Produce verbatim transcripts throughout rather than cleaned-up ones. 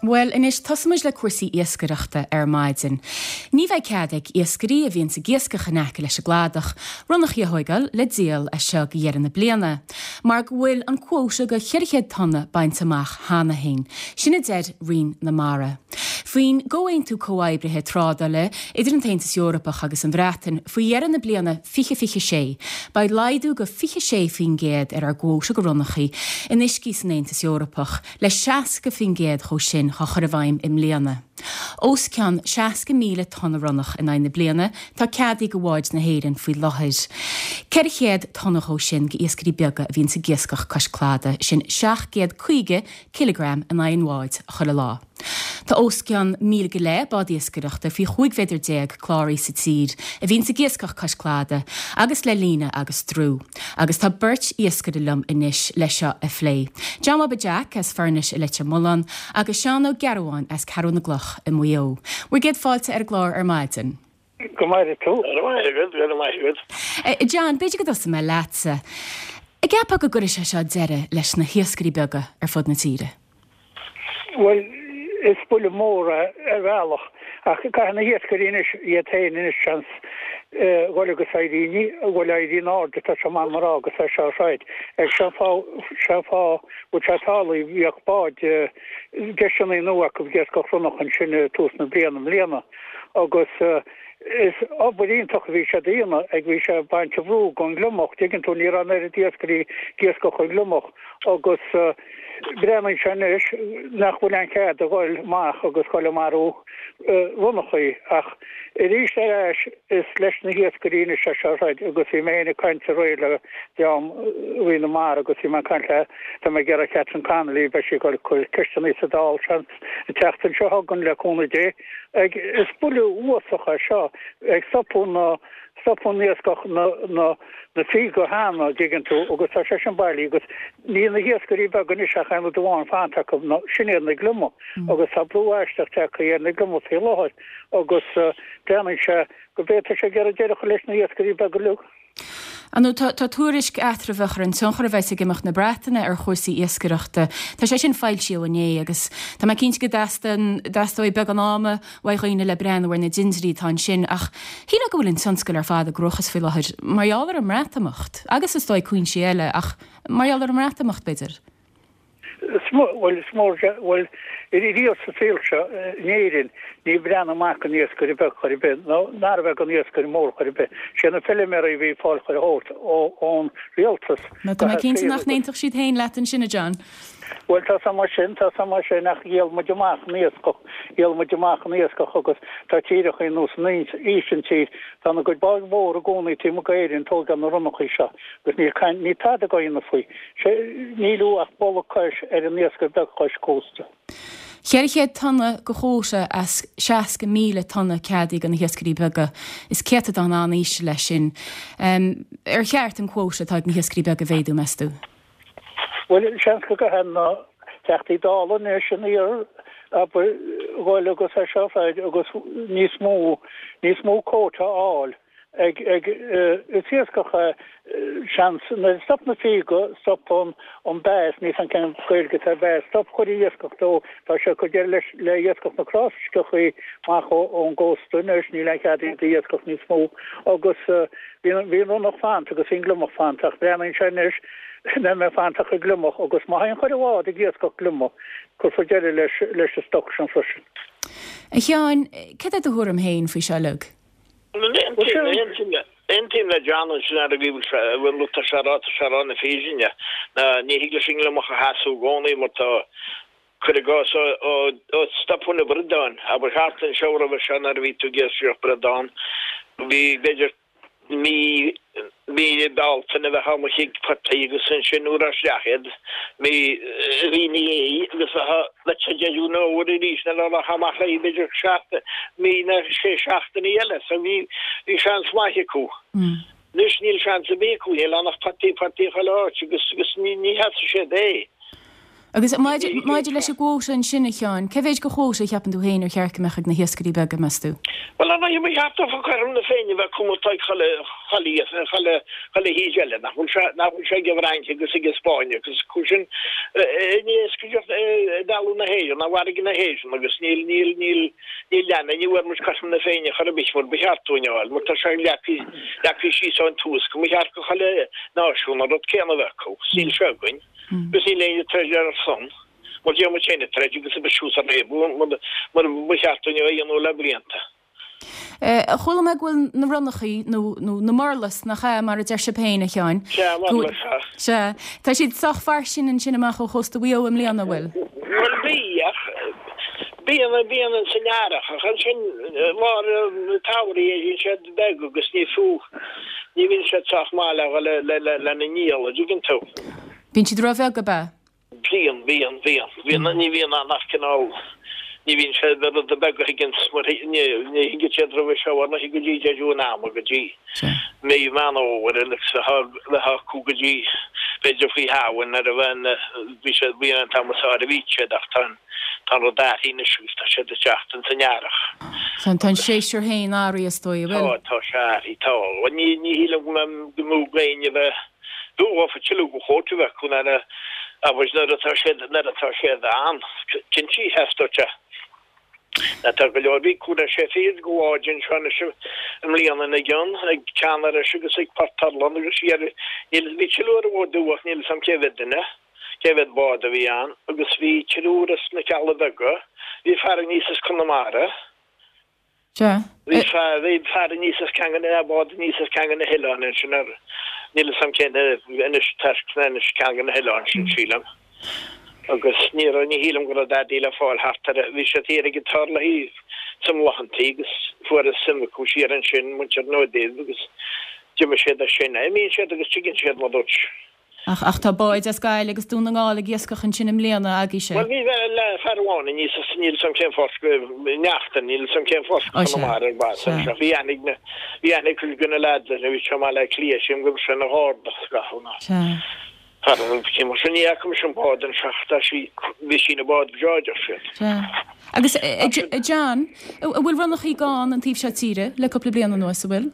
Bhuel, anois tosóimid le cúrsaí iascaireachta ar maidin. Ní bheidh cead ag iascairí a bhíonns ag iascach in aice leis an gcladach ronnachaí a thógáil le díol as seo go dheireadh na bliana, mar go bhfuil an cuóta de cheithre chéad tonna bainte amach cheana féin. Sin a deir Roinn na Mara. Faoin gComhaontú Comhoibrithe Trádála idir an tAontas Eorpach agus an Bhreatain faoi dheireadh na bliana fiche fiche sé, beidh laghdú de fiche sé faoin gcéad ar ár gcuóta de ronnachaí in uiscí san Aontas Eorpach, le seasca faoin gcéad dhó sin á chur i bhfeidhm i mbliana. Os cionn seasca míle tonna ronnach in aghaidh na bliana tá ceadaithe do bháid na hÉireann faoi láthair. Ceithre chéad tonna dhó sin d'iascairí beaga a bhíonns ag iascach cois cladaigh, sin seacht gcéad caoga cileagram in aghaidh an bháid chuile lá. Tá os cionn míle go leith bád iascaireachta faoi chúig mhéadar déag cláraithe sa tír a bhíonns ag iascach cois cladaigh agus le líne agus drú. Agus tá beirt iascaire liom anois le seo a phlé. John Bhaba Jack as Foirnis i Leitir Mealláin agus Seán Ó Gearbháin as Ceathrú na gCloch i Maigh Eo. Bhur gcéad fáilte ar an gclár ar maidin. Go maire tú. Go raibh maith agat, go raibh maith agat. John, b'fhéidir go dtosóidh mé leatsa. An gceapfá go gcuirfidh sé seo deireadh leis na hiascairí beaga ar fud na tíre? Bhuel, is buille mór é ar bhealach, ach caithfidh na hiascairí anois iad féin anois seans dhul agus éirí, ní, bhuel éirí in airde, tá sé maith mar rá agus é seo a throid. Ag seo fáth, seo fáth, bhfuil sé tarlaithe, bhíodh báid deiseanna nua acu ag iascach ronnach ansin i tús na bliana i mbliana agus is obair iontach a bhí sé a dhéanamh ag bhí sé ag baint an bhrú gon gliomach, tuigeann tú, ní raibh an oiread iascairí ag iascach an gliomach agus breathnaíonn sé anois nach bhfuil aon chead a dhul amach agus dhul ag marú ronnachaí ach arís ar ais is leis na hiascairí anois é seo a throid agus bhí mé féin ag caint aréir le dream Roinn na Mara agus bhí mé ag caint le tá mé ag iarraidh Catherine Connolly beidh sí ag dul cur ceisteanna sa Dáil seans an tseachtain seo chugainn le cúnamh Dé ag is buille uafásach é seo ag stopadh na stopadh an iascach na na na fíoga cheana dtuigeann tú agus tá sé sin bailí agus níl na hiascairí beaga anois ach aon rud amháin fanta acu ná sin iad na gliomaigh agus tá brú aisteach tagtha ar na gliomaigh faoi láthair agus breathnaíonn sé go bhféadfadh sé ag iarraidh deireadh a chur leis na hiascairí beaga uilig. Ar ndóigh, tá tá tuairisc eatramhach ar an tionchar a bheas ag imeacht na Breataine ar chúrsaí iascaireachta. Tá sé sin foilsithe inné agus tá mé cinnte go dteastaíonn dteastóidh beagán ama uaidh dhaoine le breathnú ar na dintiúirí atá ansin ach shílfeá go bhfuil an tionscal ar fad i gcruachás faoi láthair mar gheall ar an mBreatimeacht agus is dóigh cúinsí eile ach mar gheall ar an mBreatimeacht b'fhéidir. Is mó, bhuel, is mór, bhuel, riamh sa saol seo in Éirinn níor bhreathnaigh amach don iascaire beag chor ar bith, nó nárbh ea don iascaire mór chor ar bith. Sé na feilméaraí a bhí ag fáil chuile shórt ón rialtas Nó tá mé cinnte nach n-aontódh siad féin leat ansin, a John. Bhuel, tá sé mar sin, tá sé mar sin, ach dhíol muid amach an iascach, dhíol muid amach an iascach agus tá tíreacha ar nós an Ísiltír, tá na gcuid báid mhór i gcónaí taobh amuigh d'Éirinn ag tógáil na ronnachaí seo agus níl caint, níl tada á dhéanamh faoi. Sé, níl ach boladh cois ar an iascaire beag cois cósta. Ceithre chéad tonna de chuóta as seasca míle tonna ceadaithe do na hiascairí beaga. Is céatadán an-íseal é sin. Ar cheart an cuóta atá ag na hiascairí beaga a mhéadú, meas tú? Bhuel, seans go gcaithfidh na Teachtaí Dála anois an iarr, abair, dhul agus é seo a throid agus níos mó, níos mó quota a fháil. Ag, ag, is iascach é, seans, nuair a stop na fíoga, stop an, an bass, níl 's a'm cén Gaeilge atá ar bass, stop chuile iascach dó, tá sé ag cur deireadh leis, le iascach na cráifisceachaí amach ó, ón gcósta anois, níl aon chead iad a iascach níos mó agus bhí an, bhí an ronnach fanta agus bhí an gliomach fanta ach breathnaíonn sé anois nach mbeidh fanta ach an gliomach agus má théann chuile bhád ag iascach gliomach, cuirfear deireadh leis, leis an stoc sin freisin. A Sheáin, cad é do thuairim féin faoi seo uilig? Aontaím le John ansin ar an gcaoi a bhfuil tá sé rá tá sé rá na fírinne ná ní thig leis an ngliomach a sheasamh i gcónaí mar tá cuir i gcás ó stopadh na bradáin abair thart anseo roimhe seo nuair a bhí tú ag iascaireacht bradán bhí b'fhéidir mí mí Bealtaine bheifeá amuigh ag potaí agus ansin nuair isteach iad mí mí ina dhiaidh agus bheifeá le te deireadh an fhómhair arís nuair a rachfá amach léi b'fhéidir seachtain mí nó sé seachtainí eile so bhí bhí seans maith acu. Anois níl seans ar bith acu, níl ann ach potaí potaí chuile áit agus agus ní ní sheasfaidh siad é. Agus maidir leis an gcuóta ansin a Sheáin, cé mhéid de chuóta a cheapann tú féin ar cheart go mbeadh ag na hiascairí beaga, meas tú? Bhuel, ar ndóigh, ba cheart dófa cothrom na Féinne a bheith acu atá ag chuile, chuile, chuile, chuile thír eile, nach bhfuil sé, nach bhfuil sé ag an bhFrainc agus ag an Spáinn agus acu sin in iascaireacht i dtalamh na hÉireann, i bhfarraige na hÉireann agus níl, níl, níl, níl leanna, ní bhfuair muid cothrom na Féinne chor ar bith mar ba cheart dúinn a fháil, mar tá sé leagtha, leagtha síos ón tús go mba cheart go chuile náisiún an rud céanna a bheith acu, agus níl sé againn. Agus níl éinne ag troid ar ár son, mar déan muid féin ag troid agus a bheith suas ar réabadh mar ba cheart dúinn a dhéanamh le blianta. Chuala mé go bhfuil na ronnachaí, nó na murlas, nach ea, mar a deir sibh féin, a Sheáin? Sea, murlas, sea. Sea. Tá siad sách fairsing ansin amach ó chósta Mhaigh Eo i mbliana, an bhfuil? Bhuel, bhí, ach bíonn, bíonn ins an earrach, ach ansin lár an tsamhraidh éiríonn siad beag agus ní fiú, ní bhíonn siad sách maith le dhul lena ndíol, an dtuigeann tú. Bíonn siad róbheag, ab ea? Bíonn, bíonn, bíonn. Bíonn, ní bhíonn ann ach cineál, ní bhíonn sé na rudaí beaga a thigeanns mar ní, ní thigeann siad roimhe seo ar ndóigh go dtí deireadh an ama, go dtí mí Mheán Fhómhair agus a bheith acu go dtí b'fhéidir faoi Shamhain nuair a bheinn, bhí siad, bhí an t-am is fearr a bhí siad ach tá an, tá an rud athraithe anois agus tá siad ag teacht ins an earrach. Tá, tá an séasúr féin athraithe is dóigh, an bhfuil? Tá, tá sé athraithe, tá. Ní, ní shílim go mbeidh, go mbeadh éinne a bheith B'fhiú tuilleadh de chuóta a bheith acu nuair a abair nuair atá siad nuair atá siad ann. Cinnte, theastódh sé. Tá go leor bhí cúig nó sé fichid de bháid anseo anois i mbliana ina gcionn, ag Ceann Iorrais agus ag Port Urlann agus siar níl bhí triúr ar an bhfód ach níl 'fhios a'm cé mhéad duine, cé mhéad bád a bhí ann agus bhí triúr as na Cealla Beaga, bhí fear aníos as Conamara, Sea. Bhí fear, bhí fear aníos as ceann de na báid aníos as ceann de na hoileáin ansin ar, níl 'fhios a'm cén Inis Toirc nó Inis ceann de na hoileáin sin sílim. Agus ní raibh, ní shílim go raibh dadaí le fáil thart ar, bhí siad thiar ag an Turlaigh sa mBláthantaí agus fuarthas suim acu siar ansin, muintir na dTuibh agus d'imigh siad as sin. Imíonn siad agus tigeann siad mar dúirt. Ach, ach tá báid as Gaillimh agus Dún na nGall ag iascach ansin i mbliana, agaibhse. Bhuel, bhí le fear amháin aníos as, níl 'fhios a'm cén phort, Neachtain, níl 'fhios a'm cén phort Ó, sea, Conamara ar bas sea. anseo. Bhí aithne ag na, bhí aithne ag cuid de na leaids air, bhí sé i mBaile Átha Cliath, sílim go raibh sé ina gharda scaitheamh ná. Sea. Fear an cé mar sin, ní fhaca mise an bád anseo ach tá sí, bhí sí ina bád breá, deir siad. Sea. Agus, a, a John, a bhfuil ronnachaí gann an taobh seo tíre le cúpla bliain anuas, an bhfuil?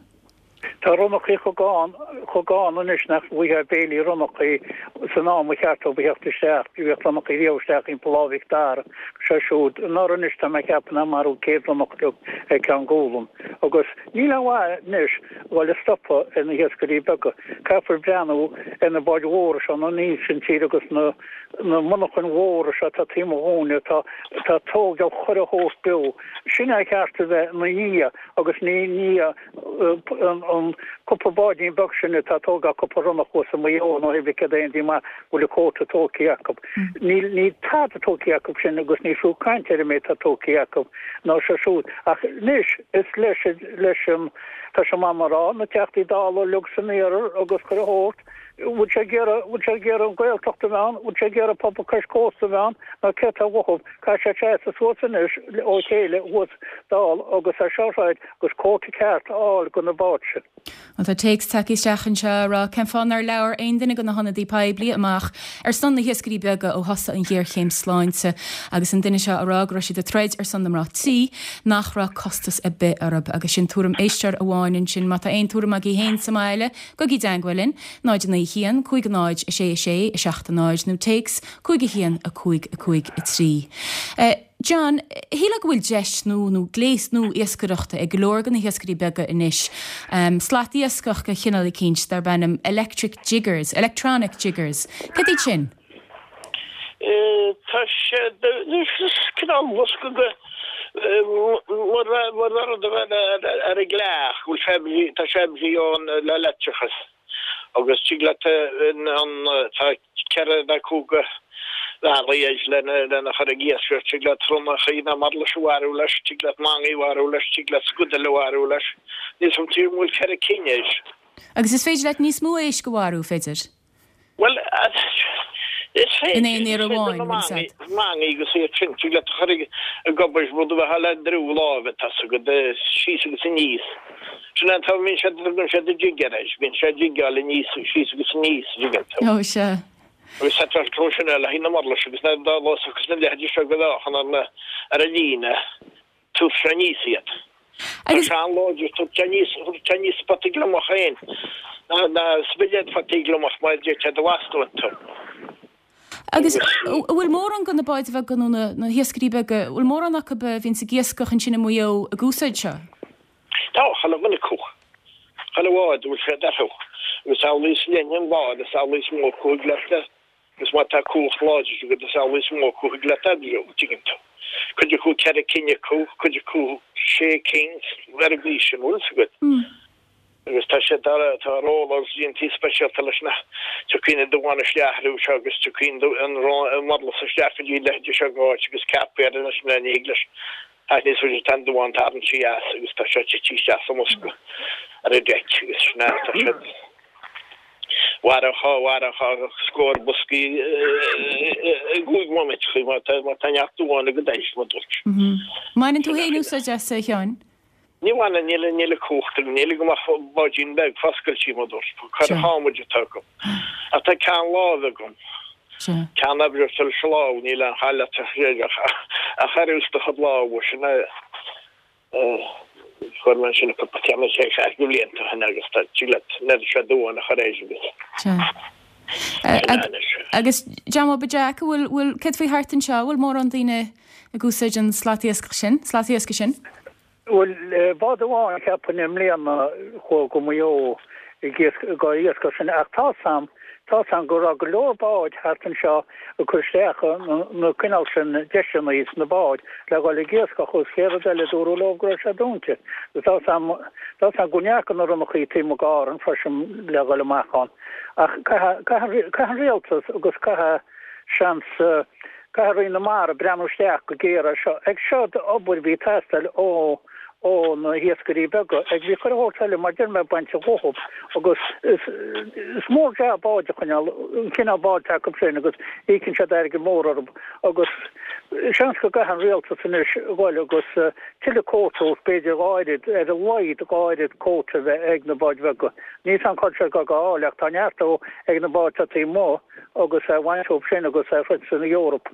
Tá ronnachaí chomh gann, chomh gann anois nach bhfaighfeá béilí ronnachaí san am ba cheart dóibh a theacht isteach. Bhíodh ronnachaí riamh isteach timpeall Lá Mhic Dara, seo siúd. Anuraidh anois tá mé ag ceapadh nár maraíodh céad ronnach uilig ar Ceann Gualann. Agus níl aon mhaith anois a dhul ag stopadh ar na hiascairí beaga. Caithfear breathnú ar na báid mhóra seo aníos an tír agus na na monarchain mhóra seo atá taobh amuigh dhúinne atá atá ag tógáil chuile shórt beo. Sin é cheart a bheith ina dhiaidh agus ní i ndiaidh an cúpla báidín beag sin atá ag tógáil cúpla ronnach thuas i Maigh Eo nó pé bith céard é an díomá go bhfuil an cuóta tógtha acu. Níl níl tada tógtha acu sin agus ní fiú caint ar an méid atá tógtha acu ná seo siúd. Ach anois is leis leis an tá sé maith mar rá, na Teachtaí Dála uilig san iarthar agus chuile shórt, bhfuil sé ag iarraidh bhfuil sé ag iarraidh an Ghaeltacht a bheith ann, bhfuil sé ag iarraidh pobal cois cósta a bheith ann nó céard atá uathu. Caithfidh siad seasamh suas anois ó chéile thuas dall agus é seo a throid agus cuóta ceart a fháil do na báid sin. Bhuel tá téacs tagtha isteach anseo ag rá cén fáth nár labhair aon duine de na hionadaí poiblí amach ar son na hiascairí beaga ó thosaigh an ghéarchéim sláinte agus an duine seo ag rá go raibh siad ag troid ar son na mná tí nach raibh costas ar bith orthu agus sin tuairim éisteoir amháin ansin. Má tá aon tuairim agaibh féin sa mbaile, gabhaigí i dteangmháil linn, náid a naoi a haon, cúig a náid, a sé a sé, a seacht a náid nó téacs cúig a haon, a cúig, a cúig, a trí. John, shílfeá go bhfuil deis nua nó gléas nua iascaireachta ag go leor de na hiascairí beaga anois, slat iascach de chineál eicínt darb ainm electric jiggers, electronic jiggers. Cad iad sin? Tá sé, is cineál bosca de, mar mar rud a bheith ar an gcreach, go bhfuil sé, tá sé oibrithe ón le leictreachas. Agus tig leat an, tá ceithre nó cúig bhealaí air lena chur ag iascaireacht, tig leat ronnachaí nó murlais a mharú leis, tig leat mangaí a mharú leis, tig leat scudail a mharú leis. Níl 's a'm an bhfuil ceithre cinn air. Agus is féidir leat níos mó éisc a mharú, féidir? Bhuel, is féidir. In aon iarraidh amháin, bhfuil 's a'd. Mangaí agus iad sin, tig leat a chur ag obair rud a bheith le droim láimhe, tá 's agat, síos agus aníos. Sin é an t-am a mbíonn siad, tugann siad an jigger air, bíonn sé ag jigeáil aníos, síos agus aníos, an dtuigeann tú. Ó, sea. Agus tá an treo sin le haghaidh na murlais agus na dá los agus na leithéidí seo go bhféachann ar na ar an líne tabharfaidh sé aníos iad. Tá Agus sé an-láidir, tabharfaidh sé aníos, tabharfaidh sé aníos spota gliomach féin, ná ná spiléad fataí gliomach mar a deirtear do bhastún iontu. Agus Agus an bhfuil mórán de na báid bheaga nó na na hiascairí beaga, an bhfuil mórán acu a bhíonns ag iascach ansin i Maigh Eo ag úsáid seo? Tá, chuile dhuine acu. Chuile bhád a bhfuil siad orthu. Agus amhlaidh is leithne an bád, is amhlaidh is mó acu a thig leat le, agus má tá cumhacht láidir agat, is amhlaidh is mó acu a thig leat oibriú, tuigeann tú. Cuid acu ceithre cinn acu, cuid acu sé cinn, ar an gcaoi sin, bhfuil fhios agat. Agus tá sé, tá, tá rollers déanta speisialta leis na, tiocfaidh na duáin isteach orthu seo agus tiocfaidh an, an murlas isteach go dtí leithéidí seo go háit agus ceapfaí air anois ní thig leis Ach níos faide tá an duán tarraingthe as agus tá sé tite isteach sa mbosca ar an deic agus sin é, tá siad mhairfeadh, mhairfeadh scór boscaí i gcúig bhomaite faoi mar tá, mar tá neart duáin agat air, mar dúirt. Mbaineann tú féin úsáid as, a Sheáin? Ní bhaineann, níl, níl an cumhacht agam, níl agam ach báidín beag foscailte, mar dúirt, Sea. curach adhmaid atá agam. Ach tá ceann láimhe agam. Sea. Ceann oibre sa lámh, níl aon chall leat a chur os do chuid lámha, sin é. Chuir mé ansin cúpla ceann sé ceathair de bhlianta ó shin agus tá tig leat an oiread seo duáin a chur air agus Sea. sin é anois. Agus John Bhobby Jack, an bhfuil, bhfuil, céard faoi thart anseo, an bhfuil mórán daoine ag úsáid an slat iascaigh sin, slat iascaigh sin? Bhuel, bád amháin cheapfainn i mbliana chuaigh go Maigh Eo ag iascach sin ach tá 's a'm, tá 's a'm go raibh go leor báid thart anseo ag cur isteach na cineál sin deiseanna sna báid le dhul ag iascach agus chéad rud eile dúradh leo go raibh sé dúnta. Tá 's a'm, tá 's a'm go ndeachaigh na ronnachaí taobh amuigh d'Árainn freisin le dhul amach ann ach caithfidh, caithfidh, caithfidh an rialtas agus caithfidh seans, Caithfidh Roinn na Mara breathnú isteach go géar air seo. Ag seo d'obair bhí ag teastáil ó ó na hiascairí beaga. Ag bhí chuile shórt eile mar deir mé bainte dhóthub agus is is mór jab báid a choinneáil, an cineál báid atá acu sin agus íocann siad airgead mór orthu agus seans go gcaithfidh an rialtas anois dhul agus tuilleadh cóta b'fhéidir dhá oiread, ar a laghad dhá oiread cóta a bheith ag na báid bheaga. Níl 's a'm cá bhfuil siad dhá fháil ach tá neart ag na báid atá taobh amuigh. agus a bhaint ób sin agus a throid san Eoraip.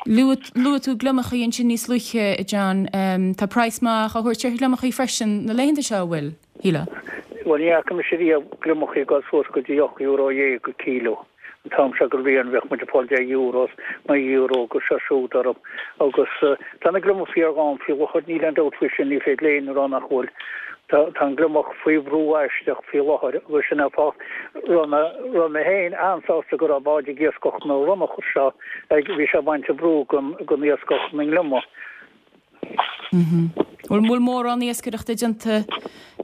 Luaigh tú gliomachaí ansin níos luaithe, a John. Tá praghas maith á thabhairt ar ghliomachaí freisin na laethanta seo, an bhfuil, shílfeá? Bhuel, ní fhaca mise riamh gliomachaí ag dul suas go dtí ocht euro dhéag an kíló. An t-am seo den bhliain bheadh muid ag fáil deich euro, naoi euro agus seo siúd orthu. Agus tá na gliomaigh fíor-ghann faoi láthair, níl aon dabht faoi sin, ní féidir le éinne a rá nach bhfuil. Tá an gliomach faoi bhrú aisteach faoi láthair agus sin an fáth raibh mé raibh mé féin an-sásta go raibh báid ag iascach na ronnach seo ag bhí sé ag baint an brú den den iascach na ngliomach. Bhfuil bhfuil mórán iascaireachta déanta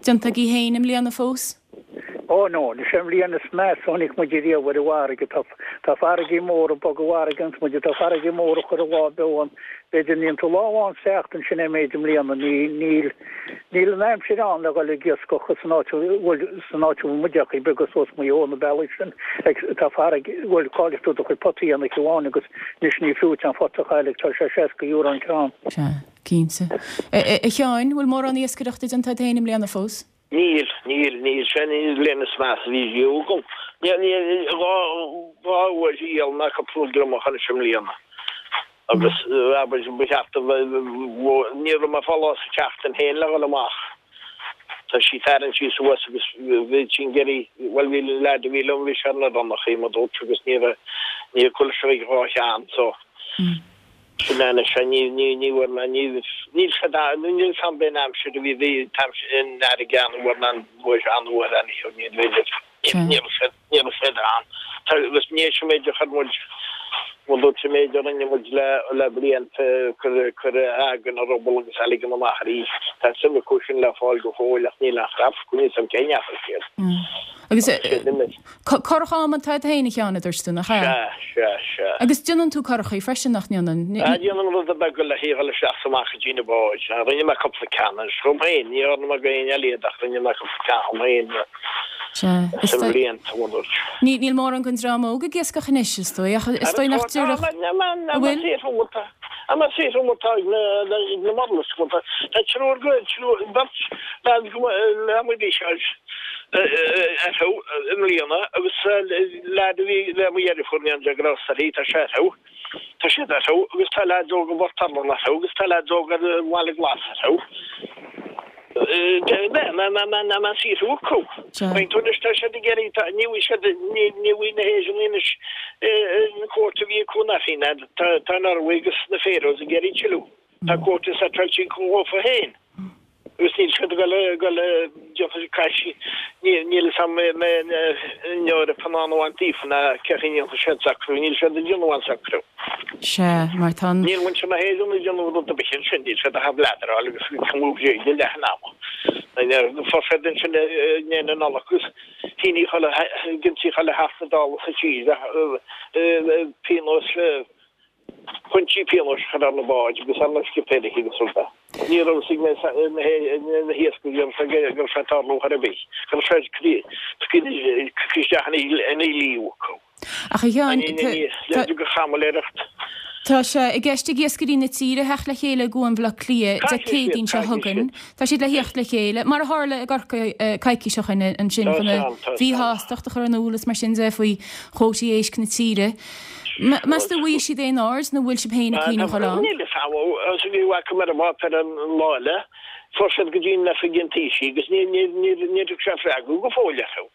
déanta agaibh féin i mbliana fós? Ó no, is é an bhliain is measa a chonaic muid riamh ar an bhfarraige. Tá tá farraigí móra bog an bhfarraige iontu muid, tá farraigí móra chuir an lá beo ann. B'fhéidir níonn tú lá amháin sa tseachtain sin é méid i mbliana. Ní níl níl an aimsir ann le dhul ag iascach san áit a bhfuil san áit a bhfuil muid ach beaga suas Maigh Eo na bealaí sin ag tá farraige bhuel caillfidh tú do chuid potaí ann oíche amháin agus anois ní fiú duit an phota a chailleadh tá sé seasca euro an ceann. Sea, cinnte. A Sheáin, bhfuil mórán iascaireachta déanta agat féin i mbliana fós? Níl, níl, níl. Sin í an bhliain is measa a bhí riamh agam. Níl, níl, dhá, dhá uair dhíol mé cúpla gliomach anois i mbliana. Agus, abair, ba cheart a bheith, ní raibh mé ag fáil lá sa tseachtain féin le dhul amach. Tá sí tarraingthe suas agus bhí sí ag iarraidh, bhuel bhí an leaid a bhí liom, bhí sé ar na ronnachaí, mar dúirt, agus ní raibh, ní raibh chuile seo ag dhá cheann, so. Sin é anois é, ní, ní, ní bhfuair mé, ní, níl sé da, níl 's a'm b'in aimsir a bhí, bhí an t-aimsir in fharraige an-fhuar ná an bhfuair an-fhuar anyhow, ní bhféidir, ní, ní raibh sé, ní raibh sé ann. Tá, agus ní hé an méid a chuir muid, bhuel dúirt an méid a rinne muid le, le blianta, cur, cur eagar na ruball agus a ligean amach arís. Tá suim acu sin le fáil go fóill ach níl aon chrap acu, níl 's a'm cén ndeachaigh siad. Agus curach adhmaid atá agat féin, a Sheáin, a dúirt tú, nach ea? Sea, sea, sea. Agus déanann tú curachaí freisin, nach ndéanann? Ah, déanaim rudaí beaga le dhul isteach is amach go dtí na báid. Rinne mé cúpla ceann anois dhom féin, ní dhearna mé d'aon eile iad ach rinne mé cúpla ceann dhom féin Sea, is sna blianta, mar dúirt. Ní, níl mórán den dream óg ag iascach anois, is dóigh, ach is dóigh nach dtiocfadh, an bhfuil? An saothar mór atá ag na murlais, tá triúr, triúr, beirt, leaid go, leath mo bhí sé. Orthu i mbliana agus leaid a bhí le mo dheirfiúr ní an de ghrásta uirthi, tá sé orthu, tá siad orthu agus tá leaids óga i bPort Allan orthu agus tá leaids óga ar an Bhaile Glas orthu. Ná saothrú acu. Faoin tú anois tá siad ag iarraidh, tá, ní bhfuil siad, ní bhfuil na hÉireannaigh anois an cuóta a bhí acu na Fianna, tá an Ioruaidh agus na Faroes ag iarraidh tuilleadh. Tá cuóta seiteáilte acu dhófa féin. Agus níl siad ag dul ag dul déanfaidh siad caisí níl fhios a'm an mbeidh an Eoraip in ann a bhaint díofa ná cé chaoi a ndéanfaidh siad socrú, níl siad ag déanamh aon socrú. Sea, mar tá an. Níl muintir na hÉireann ag déanamh rud ar bith ansin, níl siad ach ag bladderáil agus ag cumhadh bréige leath an ama. Fuair siad ansin i ndiaidh na Nollag agus shínigh chuile, d'ionsaigh chuile Theachta Dála sa tír pionós pointí pionóis a chur ar na báid agus ar na scipéirí agus rudaí. Ní raibh fhios ag na hiascairí go raibh sé ag tarlú chor ar bith, go raibh sé tugtha isteach ina dhlí acu. Ach a Sheáin, Le go chamailéireacht. Tá sé i gceist ag iascairí na tíre theacht le chéile i gCuan Bhaile Átha Cliath Dé Céadaoin seo chugainn. Tá siad le theacht le chéile, mar a tharla i gCorcaigh coicís ó shin ansin chun a míshástacht a chur in iúl is mar sin de faoi chuótaí éisc na tíre. Meas tú an bhfaighidh siad aon aird nó bhfuil sibh féin ag cuimhneamh dhul ann? Níl fhios a'm, agus bhí bhfaca mé ar an bpáipéar an lá eile, fuair siad go dtí an oifig an Taoisigh agus níor thug sé freagra go fóill orthu.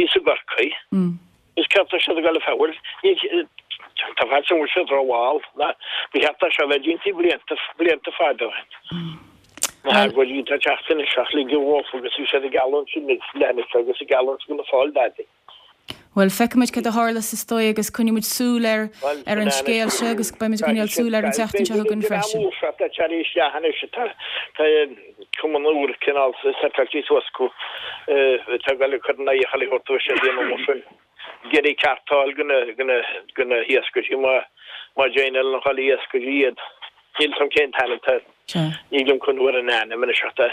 Thíos i gCorcaigh. Is céard tá siad ag dul a fáil? Tá faitíos orm go bhfuil siad rómhall. Ba cheart é seo a bheith déanta blianta, blianta fada ó shin. Na hagóidí atá ag teacht anois ach ligeadh dhófa agus bhí siad ag gealladh ansin leanbh agus ag gealladh go na fáil dadaí. Bhuel, feicfidh muid cad a tharlós is dóigh agus coinneoidh muid súil ar ar an scéal seo agus beidh muid ag coinneáil súil air an tseachtain seo chugainn freisin. Tá tar éis isteach anois tá cumann úr cineál seiteáilte suas acu atá ag dul ag cur in aghaidh chuile shórt agus siad ag déanamh mar sin. Ag iarraidh ceart a fháil do na hiascairí má má dhéanann an chuile iascairí iad. Níl 'fhios a'm cén t-ainm atá Nílim chun uair an ainm anois ach tá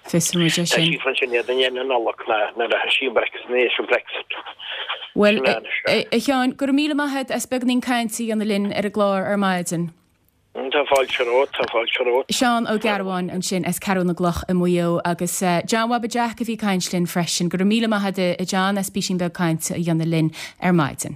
Fiosróidh muid é sin. Tá sí ansin iad i ndiaidh na Nollag nuair a thosaigh Brexit, nó éis an Brexit. Bhuel, a Sheáin, go raibh míle maith agat as beagáinín cainte a dhéanamh linn ar an gclár ar maidin. Tá fáilte romhat, tá fáilte romhat. Seán Ó Gearbháin ansin as Ceathrú na gCloch i Maigh Eo agus John Bhaba Jack a bhí ag caint linn freisin. Go raibh míle maith agat a John as písín beag cainte a dhéanamh linn ar maidin.